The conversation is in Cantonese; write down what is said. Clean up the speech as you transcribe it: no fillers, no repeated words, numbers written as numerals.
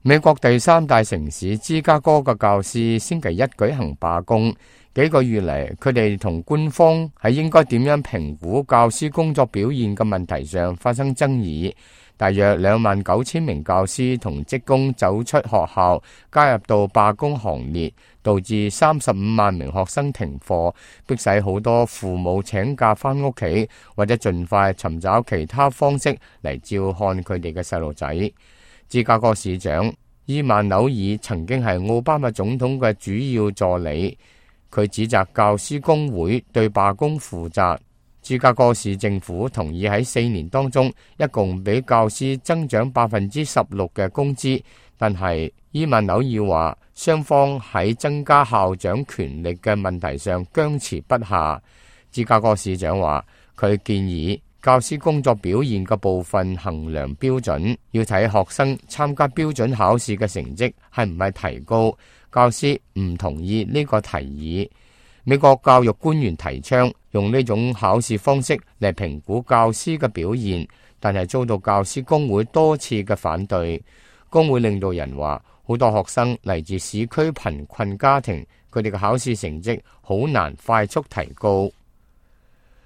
美國第三大城市芝加哥嘅教師星期一舉行罷工，幾個月嚟，佢哋同官方喺應該點樣評估教師工作表現嘅問題上發生爭議。大約29000名教師同職工走出學校，加入到罷工行列，導致35萬名學生停課，迫使好多父母請假返屋企，或者盡快尋找其他方式嚟照看佢哋嘅細路仔。芝加哥市長伊曼紐爾曾經係奧巴馬總統嘅主要助理，佢指責教師工會對罷工負責。芝加哥市政府同意喺4年當中一共俾教師增長16%嘅工資，但係伊曼紐爾話雙方喺增加校長權力嘅問題上僵持不下。芝加哥市長話佢建議教師工作表現嘅部分衡量標準要睇學生參加標準考試嘅成績係唔係提高。教師唔同意呢個提議。美國教育官員提倡用呢種考試方式嚟評估教師嘅表現，但係遭到教師工會多次嘅反對。工會領導人話好多學生嚟自市區貧困家庭，佢哋嘅考試成績好難快速提高。